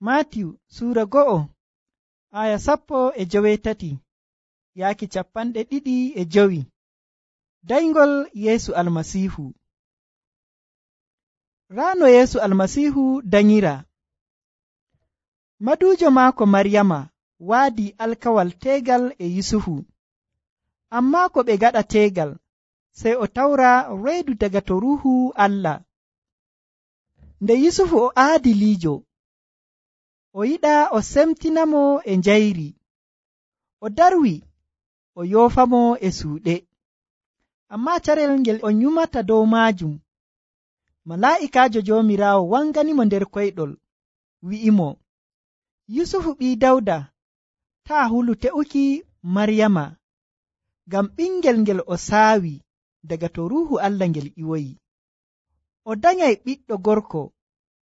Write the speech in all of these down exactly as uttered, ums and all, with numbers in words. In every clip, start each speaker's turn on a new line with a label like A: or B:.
A: Maatiyu suura go'o aya sappo e joweetati yaaki capanɗe ɗiɗi e jowi. Dayngol Yeesu Almasiihu. Raa no Yeesu Almasiihu danyira. Maduujo maako Maryama waadi alkawal teegal e Yusufu. Ammaa ko ɓe gaɗa teegal, sey o tawra reedu daga to Ruuhu Allah. Nde Yusufu o aadiliijo, o yiɗa o semtinamo e njayri, o darwi o yoofamo e suuɗe. Ammaa carel ngel o nyumata dow maajum, malaa'ikaajo Joomiraawo wanganimo nder koyɗol, wi'imo, Yusufu ɓii Dawda, taa hulu te'uki Maryama, ngam ɓingel ngel o saawi daga to Ruuhu Allah ngel ƴiwoyi. O danyay ɓiɗɗo gorko,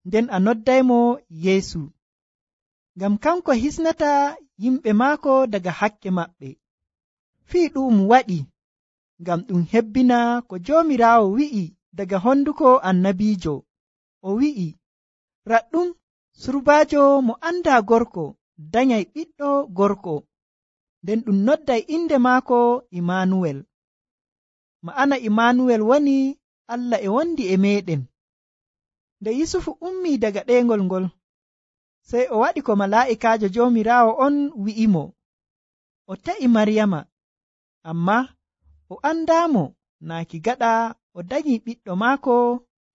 A: nden a noddaymo Yeesu, ngam kanko hisnata yimɓe maako daga hakke maɓɓe. Fii ɗu'um waɗi ngam ɗum hebbina ko Joomiraawo wi'i daga honduko annabiijo. O wi'i, raɗɗum surbaajo mo andaa gorko danyay ɓiɗɗo gorko, nden ɗum nodday inde maako Imaanuwel. Ma'ana Imaanuwel woni Allah e wondi e meeɗen. Nde Yusufu ummii daga ɗeengol ngol, sey o waɗi ko malaa'ikaajo Joomiraawo on wi'imo. O ta'i Maryama, ammaa o andaamo naaki gaɗa o danyi ɓiɗɗo maako,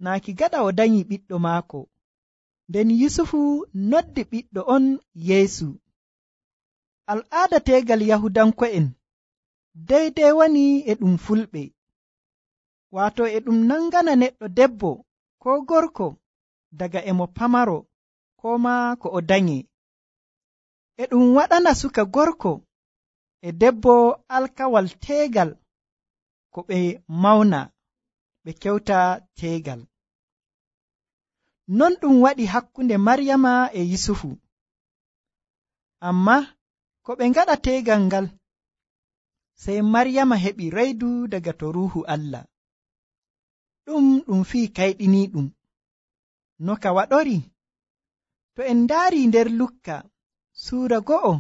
A: naaki gaɗa o danyi ɓiɗɗo maako. Nden Yusufu noddi ɓiɗɗo on Yeesu. Al'aada teegal Yahudanko'en deydey woni e ɗum fulɓe, waato e ɗum nangana neɗɗo debbo koo gorko daga e mo pamaro koo maa ko o danye. E ɗum waɗana suka gorko e debbo alkawal teegal ko ɓe mawna, ɓe kewta teegal. Non ɗum waɗi hakkunde Maryama e Yusufu. Ammaa ko ɓe ngaɗa teegal ngal, sey Maryama heɓi reydu daga to Ruuhu Allah. Ɗum ɗum fii kayɗiniiɗum. No ka waɗori? To en ndaari nder Lukka suura go'o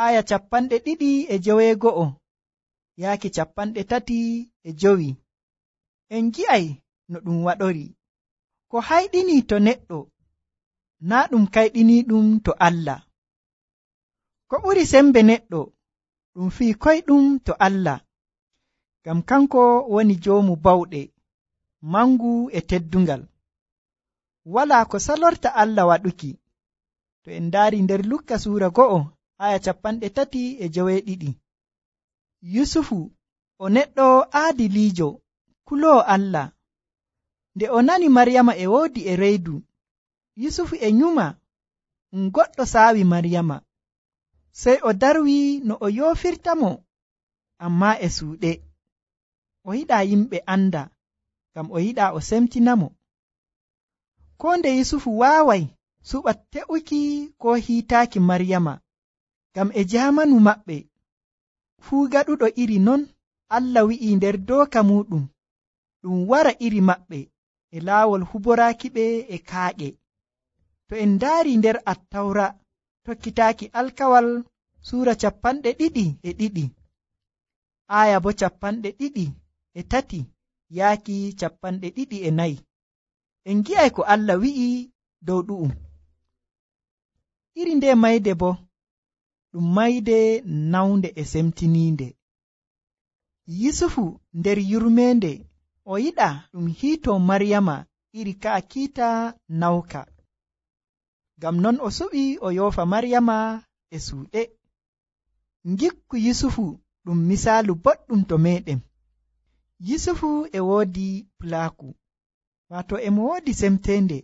A: aya capanɗe ɗiɗi e joweego'o yaaki capanɗe tati e jowi, en gi'ay no ɗum waɗori. Ko hayɗinii to neɗɗo, naa ɗum kayɗiniiɗum to Allah. Ko ɓuri sembe neɗɗo, ɗum fii koyɗum to Allah, ngam kanko woni joomu bawɗe, mangu e teddungal. Walaa ko salorta Allah waɗuki. To en ndaari nder Lukka suura go'o aya capanɗe tati e joweeɗiɗi. Yusufu o neɗɗo aadiliijo, kuloowo Allah. Nde o nani Maryama e woodi e reedu, Yusufu e nyuma um goɗɗo saawi Maryama, sey o darwi no o yoofirtamo, ammaa e suuɗe. O yiɗaa yimɓe anda, ngam o yiɗaa o semtinamo. Koo nde Yusufu waaway suɓa te'uki koo hiitaaki Maryama, ngam e jaamanu maɓɓe fuu gaɗuɗo iri non, Allah wi'ii nder dooka muuɗum ɗum wara iri maɓɓe e laawol huboraaki ɓe e kaaƴe. To en ndaari nder Attawra tokkitaaki alkawal suura capanɗe ɗiɗi e ɗiɗi, aya bo capanɗe ɗiɗi e tati yaaki capanɗe ɗiɗi e nayi, en gi'ay ko Allah wi'i dow ɗu'um. Iri nde mayde bo ɗum mayde nawnde e semtiniinde. Yusufu nder yurmeende o yiɗa ɗum hiitoo Maryama iri ka'a kiita nawka. Ngam non o suɓi o yoofa Maryama e suuɗe. Ngikku Yusufu ɗum misaalu boɗɗum to meeɗen. Yusufu e woodi pulaaku, waato emo woodi semteende,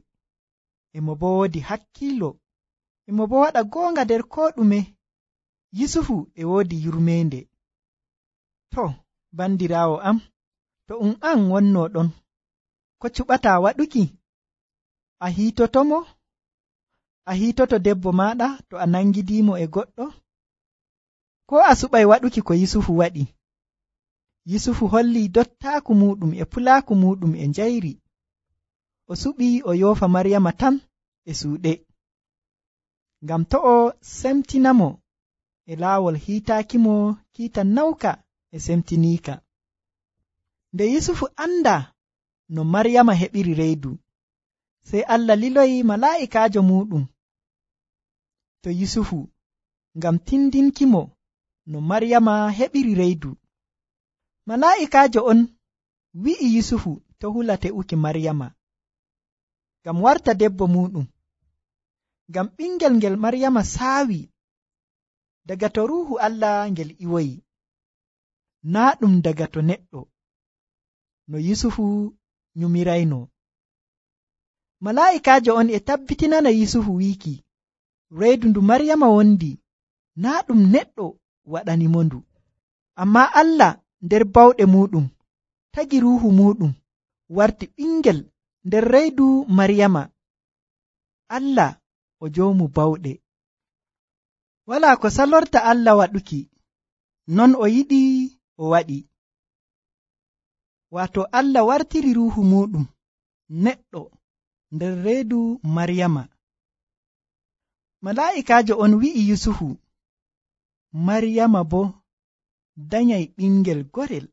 A: emo bo woodi hakkiilo, emo bo waɗa goonga nder koo ɗume. Yusufu e woodi yurmeende. To, bandiraawo am, to um an wonnoo ɗon, ko cuɓataa waɗuki? A hiitotomo? A hiitoto debbo maaɗa to a nangidiimo e goɗɗo? Koo a suɓay waɗuki ko Yusufu waɗi? Yusufu hollii dottaaku muuɗum e pulaaku muuɗum e njayri. O suɓii o yoofa Maryama tan e suuɗe. ngam to o semtinamo e laawol hiitaakimo kiita nawka e semtiniika. Nde Yusufu anda no Maryama heɓiri reedu, sey Allah liloyi malaa'ikaajo muɗum to Yusufu ngam tindinkimo no Maryama heɓiri reedu. Malaa'ikaajo on wi'i Yusufu to hula te'uki Maryama ngam warta debbo muɗum, ngam ɓingel ngel Maryama saawi daga to Ruuhu Allah ngel iwoyi, naa ɗum daga to neɗɗo no Yusufu nyumirayno. Malaa'ikaajo on e tabbitinana Yusufu wiiki reedu ndu Maryama wondi naa ɗum neɗɗo waɗanimo ndu, ammaa Allah nder bawɗe muɗum tagi Ruuhu muɗum warti ɓingel nder reedu Maryama. Allah o joomu bawɗe. Walaa ko salorta Allah waɗuki, non o yiɗi o waɗi. Waato Allah wartiri Ruuhu muɗum neɗɗo nder reedu Maryama. Malaa'ikaajo on wi'i Yusufu, Maryama boo danyay ɓingel gorel.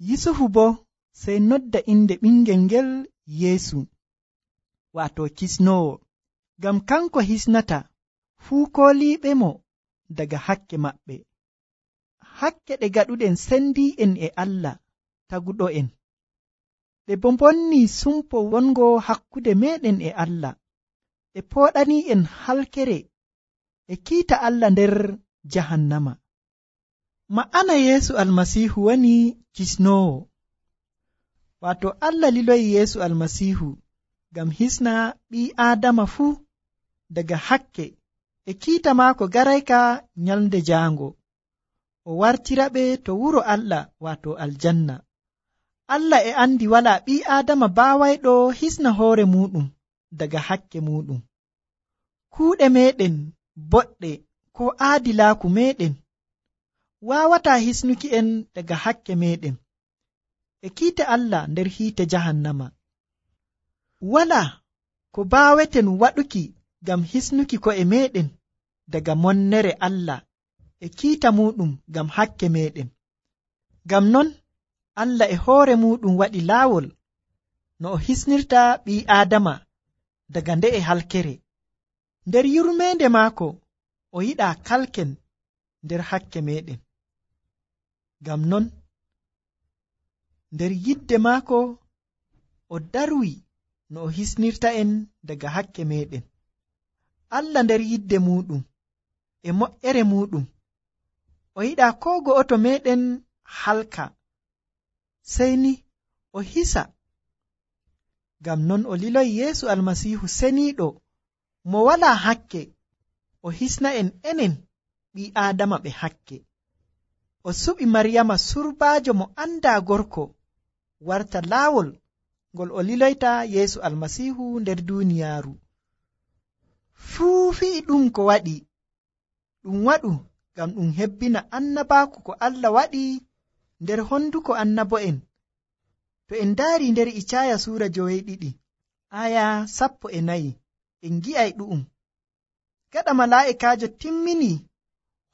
A: Yusufu boo sey nodda inde ɓingel ngel Yeesu, waato kisnoowo, ngam kanko hisnata fuu kooliiɓe mo daga hakke maɓɓe. Hakke ɗe gaɗuɗen sendii'en e Allah taguɗo'en, ɗe boo mbonnii sumpo wongo hakkude meeɗen e Allah, e pooɗanii'en halkere e kiita Allah nder jahannama. Ma'ana Yeesu Almasiihu woni kisnoowo, waato Allah liloyi Yeesu Almasiihu ngam hisna ɓii Aadama fuu daga hakke e kiita maako garayka nyalnde jaango, o wartira ɓe to wuro Allah waato aljanna. Allah e andi walaa ɓii Aadama baawayɗo hisna hoore muɗum daga hakke muɗum. Kuuɗe meɗen boɗɗe ko aadilaaku meɗen waawataa hisnuki en daga hakke meɗen e kiita Allah nder hiite jahannama. Walaa ko baaweten waɗuki ngam hisnuki ko'e meɗen daga monnere Allah e kiita muɗum ngam hakke meɗen. Ngam non Allah e hoore muɗum waɗi laawol no o hisnirta ɓii Aadama daga nde'e halkere. Nder yurmeende maako o yiɗaa kalken nder hakke meɗen. Ngam non nder yidde maako o darwi no o hisnirta en daga hakke meɗen. Allah nder yidde muɗum e moƴƴere muɗum o yiɗaa koo go'oto meɗen halka, sey ni o hisa. Ngam non o liloyi Yeesu Almasiihu seniiɗo mo walaa hakke o hisna en enen ɓii Aadama ɓe hakke. O suɓi Maryama surbaajo mo andaa gorko warta laawol ngol o liloyta Yeesu Almasiihu nder duuniyaaru. Fuu fi'i ɗum ko waɗi ɗum waɗu ngam ɗum hebbina annabaaku ko Allah waɗi nder honduko annabo'en. To en ndaari nder Icaaya suura joweeɗiɗi aya sappo e nayi en gi'ay ɗu'um. Gaɗa malaa'ikaajo timmini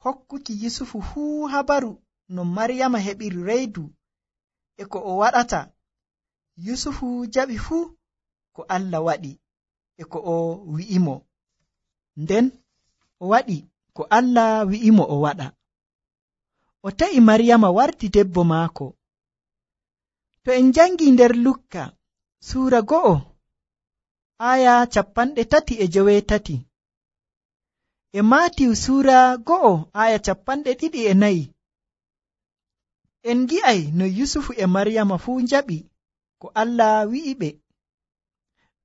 A: hokkuki Yusufu fuu habaru no Maryama heɓiri reedu e ko o waɗata, Yusufu jaɓi fuu ko Allah waɗi e ko o wi'imo. Nden o waɗi ko Allah wi'imo o waɗa. O ta'i Maryama warti debbo maako. To en jangi nder Lukka suura go'o aya capanɗe tati e joweetati e Maatiw suura go'o aya capanɗe ɗiɗi e nayi, en gi'ay no Yusufu e Maryama fuu njaɓi ko Allah wi'i ɓe.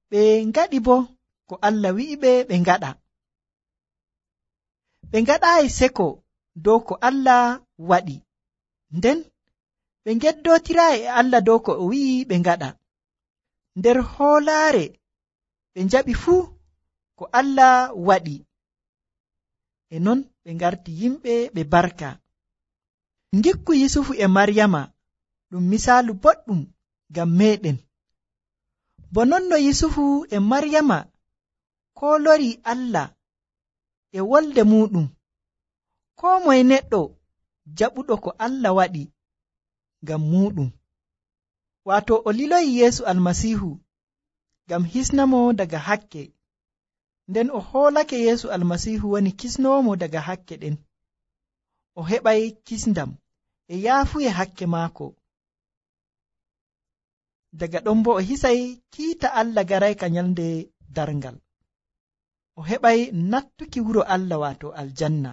A: Ɓe ngaɗi bo ko Allah wi'i ɓe ɓe ngaɗa. Ɓe ngaɗaayi seko dow ko Allah waɗi, nden ɓe ngeddootiraayi e Allah dow ko o wi'i ɓe ngaɗa. Nder hoolaare ɓe njaɓi fuu ko Allah waɗi, e non ɓe ngarti yimɓe ɓe barka. Ngikku Yusufu e Maryama ɗum misaalu boɗɗum ngam meɗen. Bo non no Yusufu e Maryama koo lori Allah e wolde muɗum. Koo moye neɗɗo jaɓuɗo ko Allah waɗi ngam muɗum, waato o liloyi Yeesu Almasiihu ngam hisnamo daga hakke, nden o hoolake Yeesu Almasiihu woni kisnoomo daga hakke ɗen. O heɓay kisndam e yaafuye hakke maako. Daga ɗon bo o hisay kiita Allah garayka nyalnde darngal. O heɓay nattuki wuro Allah waato aljanna.